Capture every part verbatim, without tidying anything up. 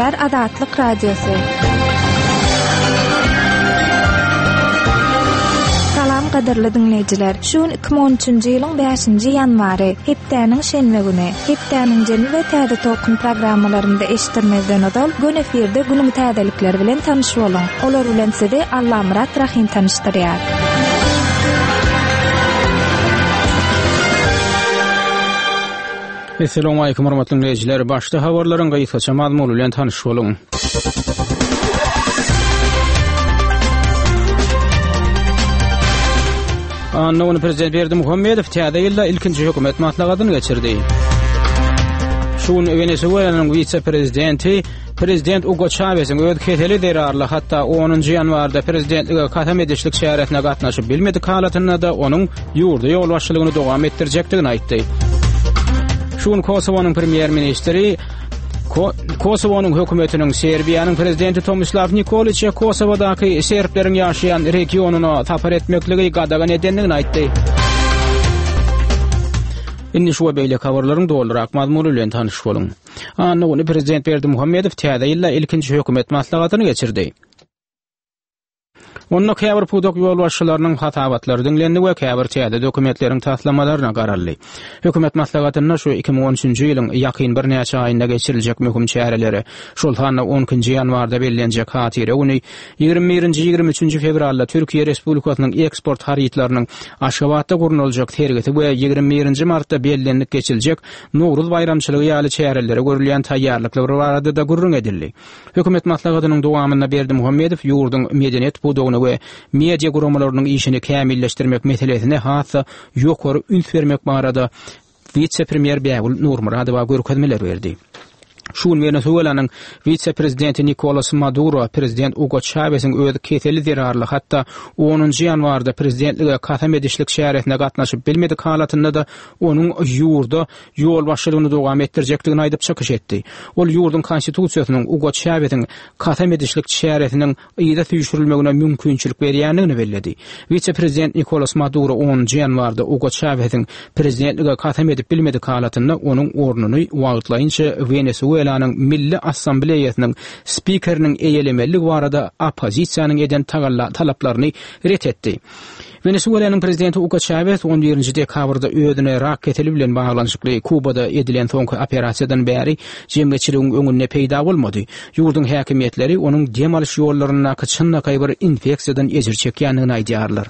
Gürleýär Azatlyk Radiosy. Salam gadyrly diňleýjiler. Şu gün iki müň on üçünji ýylyň bäşinji ýanwary, hepdäniň şenbe güni. Hepdäniň jemi we täze tolkun programmalarynda eşitdirmezden ozal gün efirde günüň täzelikleri bilen tanyş boluň. Olar bilen sizi Allamyrat Rahim tanyşdyrýar. Esselamu aleýkum hormatly dinleýjiler. Başda habarlaryň gysgaça mazmuny bilen tanyş boluň. Anna güni Prezident Berdimuhamedow täze ýylda ilkinji hökümet maslahatyny geçirdi. Şu gün Wenesuelanyň wise-prezidenti Prezident Ugo Çawesiň öz keseli zerarly hatda onunjy ýanwarda prezidentlige kasam edişlik çäresine gatnaşyp bilmedik halatynda-da onuň ýurda ýolbaşçylygyny dowam etdirjekdigini aýtdy. Şu gün Kosowonyň premýer-ministri Ko-, Kosowonyň hökümetiniň Serbiýanyň prezidenti Tomislaw Nikoliçe Kosowadaky serbleriň ýaşaýan regionyna sapar etmekligi gadagan edendigini aýtdy. Indi şu we beýleki habarlaryň dolurak mazmuny bilen tanyş boluň. Anna güni Prezident Berdimuhamedow täze ýylda ilkinji hökümet maslahatyny geçirdi. Onda käbir pudak ýolbaşçylarynyň hasabatlary diňlendi we käbir täze dokumentleriň taslamalaryna garaldy. Hökümet maslahatynda şu iki müň on üçünji ýylyň ýakyn birnäçe aýynda geçiriljek möhüm çäreleri, şol sanda on ikinji ýanwarda bellenjek hatyra güni, ýigrimi birinji, ýigrimi üçünji fewralda Türkiýe Respublikasynyň eksport harytlarynyň Aşgabatda gurnaljak sergisi we ýigrimi birinji martda bellenilip geçiljek Nowruz baýramçylygy ýaly çärelere görülýän taýýarlyklar barada-da gürrüň edildi. Hökümet maslahatynyň dowamynda Berdimuhamedow ýurduň medeniýet pudagyny we media guramalarynyň işini kämilleşdirmek meselesine has-da ýokary üns bermek barada wise-premýer Bägül Nurmyradowa görkezmeler berdi. Şu gün Wenesuelanyň wise-prezidenti Nikolas Maduro prezident Ugo Çawesiň öz keseli zerarly hatda onunjy ýanwarda prezidentlige kasam edişlik çäresine gatnaşyp bilmedik halatynda-da onuň ýurda ýolbaşçylygyny dowam etdirjekdigini aýdyp çykyş etdi. Ol ýurduň konstitusiýasynyň Ugo Çawesiň kasam edişlik çäresiniň yza süýşürilmegine mümkinçilik berýändigini belledi. Wise-prezident Nikolas Maduro onunjy ýanwarda Ugo Çawesiň prezidentlige kasam edip bilmedik halatynda onuň ornuny wagtlaýynça Wenesuelanyň Milli Assambleýasynyň spikeriniň eýelemeligi barada oppozisiýanyň eden tagalla talaplaryny ret etdi. Wenesuelanyň prezidenti Ugo Çawes on birinji dekabrda özüne rak keseli bilen baglanyşykly Kubada edilen soňky operasiýadan bäri jemgyýetçiligiň öňünde peýda bolmady. Ýurduň häkimiýetleri onuň dem alyş ýollaryndaky çynlakaý bir infeksiýadan ejir çekýändigini aýdýarlar.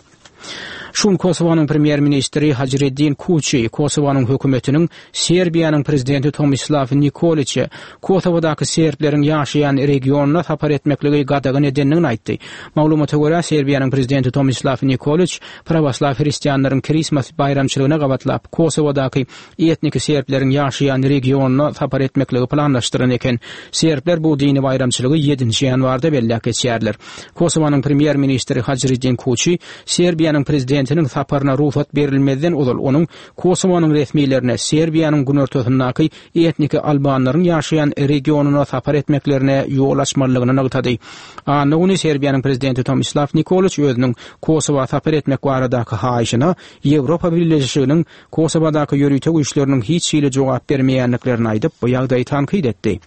Şu gün Kosowanyň premýer-ministri Hajreddin Kuçi Kosowanyň hökümetiniň Serbiýanyň prezidenti Tomislaw Nikoliçe Kosowadaky serbleriň ýaşaýan regionyna sapar etmekligi gadagan edendigini aýtdy. Maglumata görä, Serbiýanyň prezidenti Tomislaw Nikoliç prawoslaw hristianlaryň Christmas baýramçylygyna gabatlap Kosowadaky etniki serbleriň ýaşaýan regionyna sapar etmekligi planlaşdyran eken. Serbler bu dini baýramçylygy ýedinji ýanwarda belläp geçýärler. Kosowanyň premýer-ministri Hajreddin Kuçi Serbiýanyň prezidentiniň saparyna rugsat berilmezden ozal onuň Kosowanyň resmilerine Serbiýanyň günortasyndaky etniki albanlaryň ýaşaýan regionyna sapar etmeklerine ýol açmalydygyny nygtady. Anna güni Serbiýanyň prezidenti Tomislaw Nikoliç özüniň Kosowa sapar etmek baradaky haýyşyna Ýewropa Birleşiginiň Kosowadaky ýörite güýçleriniň hiç hili jogap bermeýändiklerini aýdyp, bu ýagdaýy tankyt etdi.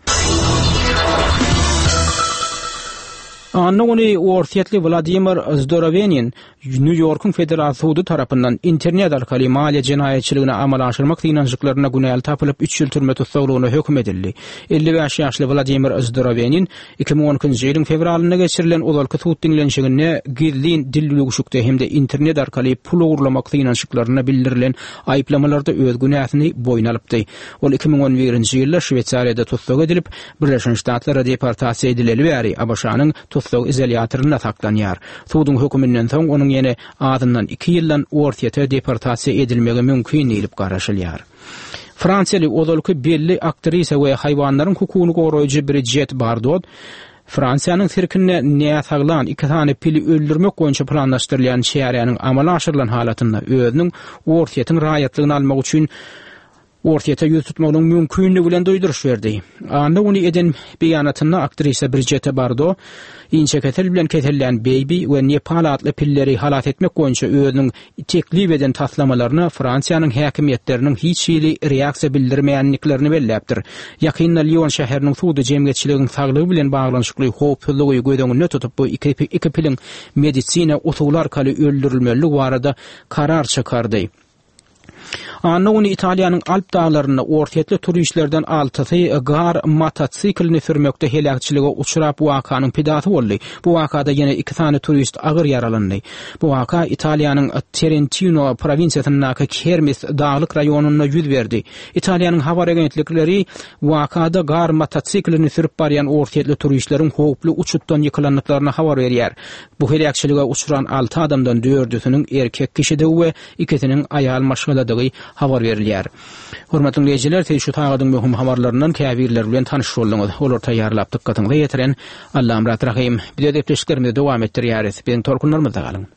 Anna güni Orsýetli Wladimir Zdorowenin Nýu-Ýorkuň federal sudy tarapyndan internet arkaly maliýe jenaýatçylygyny amala aşyrmak synanyşyklarynda günäli tapylyp, üç ýyl türme tussaglygyna höküm edildi. Elli bäş ýaşly Wladimir Zdorowenin iki müň on ikinji ýylyň fewralynda geçirilen ozalky sud diňlenişiginde gizlin dildüwşükde hem-de internet arkaly pul ogurlamak synanyşyklarynda bildirilen aýyplamalarda öz günäsini boýun alypdy. Ol iki müň on birinji ýylda Şweýsariýada tussag edilip, Birleşen Ştatlara deportasiýa edileli bäri A B Ş-nyň tussag izolýatorynda saklanýar. Suduň höküminden soň onuň ýene azyndan iki ýyldan Orsýete deportasiýa edilmegi mümkin diýlip garaşylýar. Fransiýaly ozalky belli aktrisa we haýwanlaryň hukugyny goraýjy Brigitte Bardot Fransiýanyň sirkinde näsaglan iki sany pili öldürmek boýunça planlaşdyrylýan çäräniň amala aşyrylan halatynda özüniň Orsýetiň raýatlygyny almak üçin Orsýete ýüz tutmagynyň mümkinligi bilen duýduryş berdi. Anna güni eden beýanatynda aktrisa Brijette Bardo inçekesel bilen kesellän Baby we Nepal atly pilleri halas etmek boýunça özüniň teklip eden taslamalaryna Fransiýanyň häkimiýetleriniň hiç hili reaksiýa bildirmeýändiklerini belläpdir. Ýakynda Lion şäheriniň sudy jemgyýetçiligiň saglygy bilen baglanyşykly howpsuzlygy göz öňünde tutup bu iki, iki piliň medisina usuly arkaly öldürilmeliligi barada karar çykardy. Anna güni Italiýanyň Alp daglarynda orsýetli turistlerden altysy gar motosiklini sürmekde heläkçilige uçrap wakanyň pidasy boldy. Bu wakada ýene iki sany turist agyr ýaralandy. Bu waka Italiýanyň Trentino prowinsiýasyndaky Kermis daglyk raýonynda ýüz berdi. Italiýanyň habar agentlikleri wakada gar motosiklini sürüp barýan orsýetli turistleriň howply uçutdan ýykylandyklaryny habar berýär. Bu heläkçilige uçran alty adamdan dördüsiniň erkek kişidigi we ikisiniň aýal maşgaladygy habar berilýär. Hormatly dinleýjiler, siz şu sagadyň möhüm habarlaryndan käbirleri bilen tanyş bolduňyz. Olar taýýarlap dykgatyňyza ýetiren Allamyrat Rahym. Biz öz gepleşiklerimizi dowam etdirýäris. Biziň tolkunlarymyzda galyň.